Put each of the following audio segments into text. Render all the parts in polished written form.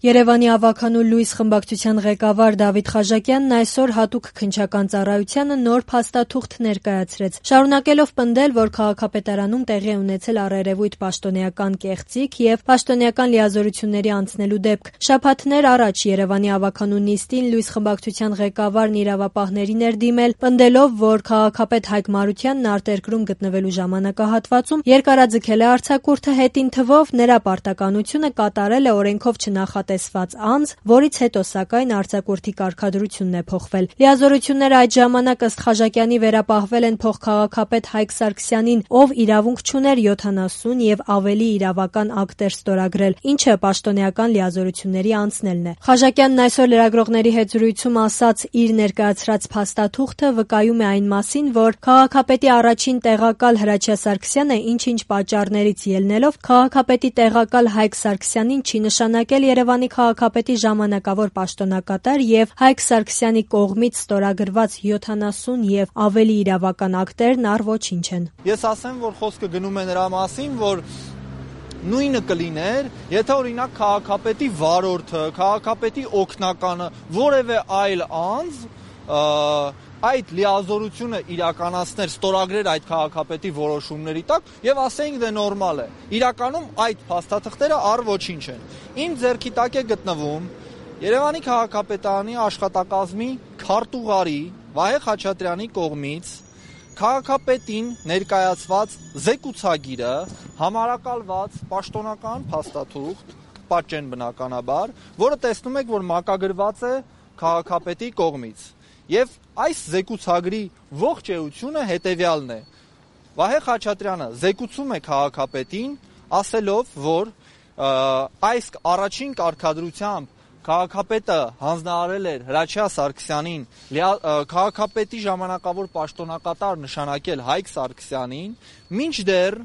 Երևանի ավագանու լույս խմբակցության ղեկավար Դավիթ Խաժակյանն այսօր հատուկ քննչական ծառայությանը նոր փաստաթուղթ ներկայացրեց, շարունակելով պնդել, որ քաղաքապետարանում տեղի է ունեցել առերևույթ պաշտոնեական կեղծիք եւ պաշտոնեական լիազորությունների անցնելու դեպք։ Շաբաթներ առաջ Երևանի ավագանու նիստին լույս խմբակցության ղեկավարն իրավապահներին էր դիմել, պնդելով, որ քաղաքապետ Հայկ Մարությանն արտերկրում գտնվելու ժամանակահատվածում երկարաձգել է արձակուրդը, հետին թվով նրա պարտականությունը կատարել է օրենքով չնախատեսված անձ, որից հետո սակայն արձակուրդի կարգադրությունն է փոխվել։ Լիազորությունները այդ ժամանակ ըստ Խաժակյանի վերապահվել են փոխքաղաքապետ Հայկ Սարգսյանին, ով իրավունք չուներ 70 եւ ավելի իրավական ակտեր ստորագրել, ինչը պաշտոնեական լիազորությունների անցնելն է։ Խաժակյանն այսօր լրագրողների հետ զրույցում ասաց, իր ներկայացրած փաստաթուղթը վկայում է այն մասին, որ քաղաքապետի առաջին տեղակալ Հրաչյա Սարգսյանը ինչ-ինչ պատճառներից ելնելով քաղաքապետի տեղակալ Հայկ Սարգսյանին չի նշանակել Երևանի քաղաքապետի ժամանակավոր պաշտոնակատար եւ Հայկ Սարգսյանի կողմից ստորագրված 70 եւ ավելի իրավական ակտերն առ ոչինչ են։ Ես ասեմ, որ խոսքը գնում է նրա մասին, որ նույնը կլիներ, եթե օրինակ քաղաքապետի վարորդը, քաղաքապետի օգնականը, որևէ այլ անձ այդ լիազորությունը իրականացներ, ստորագրեր այդ քաղաքապետի որոշումների տակ եւ ասեինք դե նորմալ է։ Իրականում այդ փաստաթղթերը առ ոչինչ են։ Իմ ձեռքի տակ է գտնվում Երևանի քաղաքապետարանի աշխատակազմի քարտուղարի Վահե Խաչատրյանի կողմից քաղաքապետին ներկայացված զեկուցագիրը, համարակալված պաշտոնական փաստաթուղթ, պատճեն բնականաբար, որը տեսնում եք, որ մակագրված է քաղաքապետի կողմից։ Եվ այս զեկուցագրի ողջ էությունը հետևյալն է. Վահե Խաչատրյանը զեկուցում է քաղաքապետին, ասելով, որ այս առաջին կարգադրությամբ քաղաքապետը հանձնարարել էր Հրաչյա Սարգսյանին քաղաքապետի ժամանակավոր պաշտոնակատար նշանակել Հայկ Սարգսյանին, մինչդեռ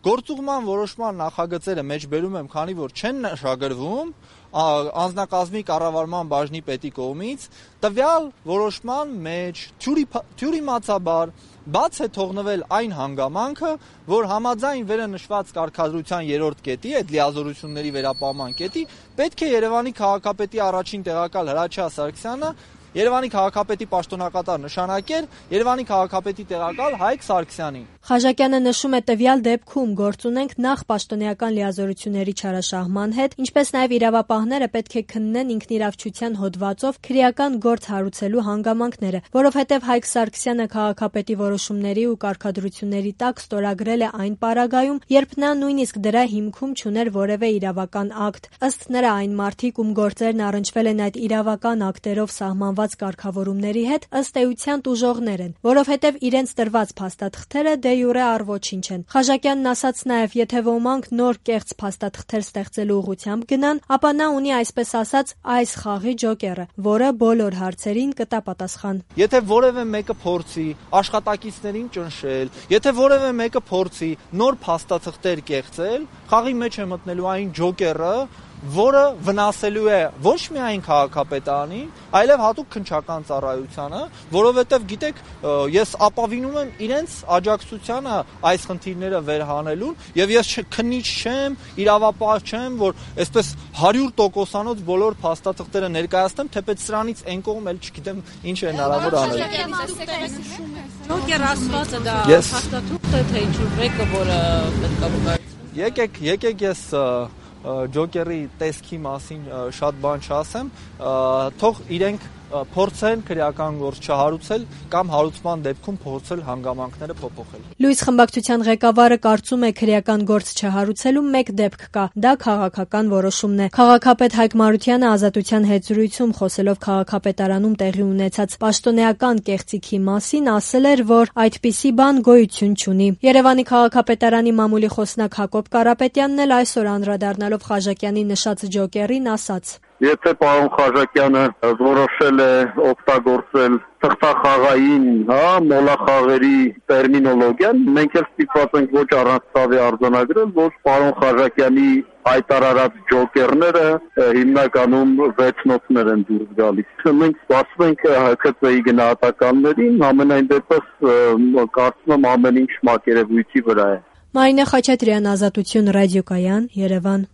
գործուղման որոշման նախագծերը մեջբերում եմ, քանի որ չեն նշագրվում անձնակազմի կառավարման բաժնի պետի կողմից, տվյալ որոշման մեջ թյուրիմացաբար բաց է թողնվել այն հանգամանքը, որ համաձայն վերը նշված կարգադրության 3-րդ կետի, այդ լիազորությունների վերապահման կետի, պետք է Երևանի քաղաքապետի առաջին տեղակալ Հրաչյա Սարգսյանը Երևանի քաղաքապետի պաշտոնակատար նշանակեր Երևանի քաղաքապետի տեղակալ Հայկ Սարգսյանին։ Խաժակյանը նշում է տվյալ դեպքում գործ ունենք նախ պաշտոնեական լիազորությունների չարաշահման հետ, ինչպես նաև իրավապահները պետք է քննեն ինքնիրավչության հոդվածով քրեական գործ հարուցելու հանգամանքները, որովհետև Հայկ Սարգսյանը քաղաքապետի որոշումների ու կարգադրությունների տակ ստորագրել է այն պարագայում, երբ նա նույնիսկ դրա հիմքում չուներ որևէ իրավական ակտ։ Ըստ նրա այն մարդիկ, ում գործերն առնչվել են այդ իրավական ակտերով սահմանված կարգավորումների հետ, ըստ էության տուժողներ են, որովհետև իրենց տրված փաստաթղթերը դե յուրե առ ոչինչ են։ Խաժակյանն ասաց նաև, եթե ոմանք նոր կեղծ փաստաթղթեր ստեղծելու ուղղությամբ գնան, ապա նա ունի այսպես ասած այս խաղի ջոկերը, որը բոլոր հարցերին կտա պատասխան։ Եթե որևէ մեկը փորձի աշխատակիցներին ճնշել, եթե որևէ մեկը փորձի նոր փաստաթղթեր կեղծել, խաղի մեջ է մտնելու այն ջոկերը, որը վնասելու է ոչ միայն քաղաքապետարանին, այլև հատուկ քննչական ծառայությանը, որովհետև գիտեք, ես ապավինում եմ իրենց աջակցությանը այս խնդիրները վերհանելուն, եւ ես քննիչ չեմ, իրավապահ չեմ, որ այսպես 100%-անոց բոլոր փաստաթղթերը ներկայացնեմ, թեպետ սրանից այն կողմ էլ չգիտեմ ինչ է հնարավոր անել։ Ջոկեր ասվածը դա փաստաթուղթ է, թե ինչ-որ մեկը, որը պետք է վկայի։ Եկեք ես ջոկերի տեսքի մասին շատ բան չասեմ, թող իրենք փորձեն քրեական գործ չհարուցել կամ հարուցման դեպքում փորձել հանգամանքները փոփոխել։ Լույս խմբակցության ղեկավարը կարծում է քրեական գործ չհարուցելու մեկ դեպք կա, դա քաղաքական որոշումն է։ Քաղաքապետ Հայկ Մարությանը Ազատության հետ զրույցում խոսելով քաղաքապետարանում տեղի ունեցած պաշտոնեական կեղծիքի մասին ասել էր, որ այդպիսի բան գոյություն չունի։ Երևանի քաղաքապետարանի մամուլի խոսնակ Հակոբ Կարապետյանն էլ այսօր անդրադառնալով Խաժակյանի նշած ջոկերին ասաց. Եթե պարոն Խաժակյանը որոշել է օգտագործել թղթախաղային, մոլախաղերի տերմինոլոգիան, մենք էլ ստիպված ենք ոչ առանց ցավի արձանագրել, որ պարոն Խաժակյանի հայտարարած ջոկերները հիմնականում վեցնոցներ են դուրս գալիս։ Մենք սպասում ենք ՀՔԾ-ի գնահատականներին, ամենայն դեպս կարծում եմ ամեն ինչ մակերևույթի վրա է։ Մարինե Խաչատրյան, Ազատություն ռադիոկայան, Երևան։